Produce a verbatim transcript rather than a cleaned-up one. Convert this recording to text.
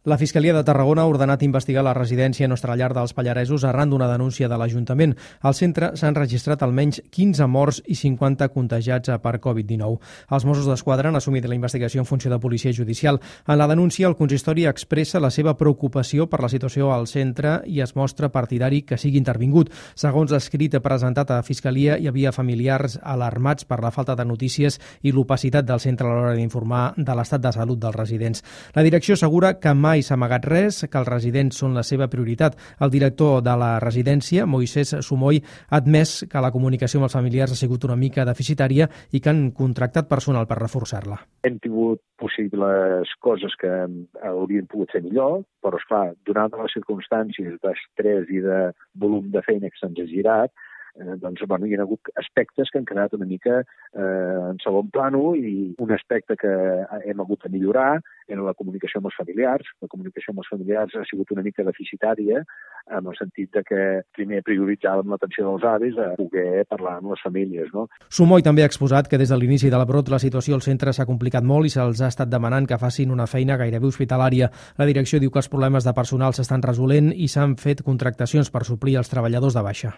La Fiscalia de Tarragona ha ordenat investigar la residència Nostra Llar dels Pallaresos arran d'una denúncia de l'Ajuntament. Al centre s'han registrat almenys quinze morts i cinquanta contagiats per covid dinou. Els Mossos d'Esquadra han assumit la investigació en funció de policia judicial. En la denúncia, el consistori expressa la seva preocupació per la situació al centre i es mostra partidari que sigui intervingut. Segons l'escrit presentat a Fiscalia, hi havia familiars alarmats per la falta de notícies i l'opacitat del centre a l'hora d'informar de l'estat de salut dels residents. La direcció assegura que mai s'ha amagat res, que els residents són la seva prioritat. El director de la residència, Moisés Sumoy, ha admès que la comunicació amb els familiars ha sigut una mica deficitària i que han contractat personal per reforçar-la. Hem tingut possibles coses que haurien pogut ser millor, però, esclar, donant les circumstàncies d'estrès i de volum de feina que se'ns ha girat, Eh, doncs, bueno, hi ha hagut aspectes que han quedat una mica eh, en segon plano i un aspecte que hem hagut de millorar era la comunicació amb els familiars. La comunicació amb els familiars ha sigut una mica deficitària en el sentit de que primer prioritzàvem l'atenció dels avis a poder parlar amb les famílies. No? Sumoy també ha exposat que des de l'inici de la brot la situació al centre s'ha complicat molt i se'ls ha estat demanant que facin una feina gairebé hospitalària. La direcció diu que els problemes de personal s'estan resolent i s'han fet contractacions per suplir els treballadors de baixa.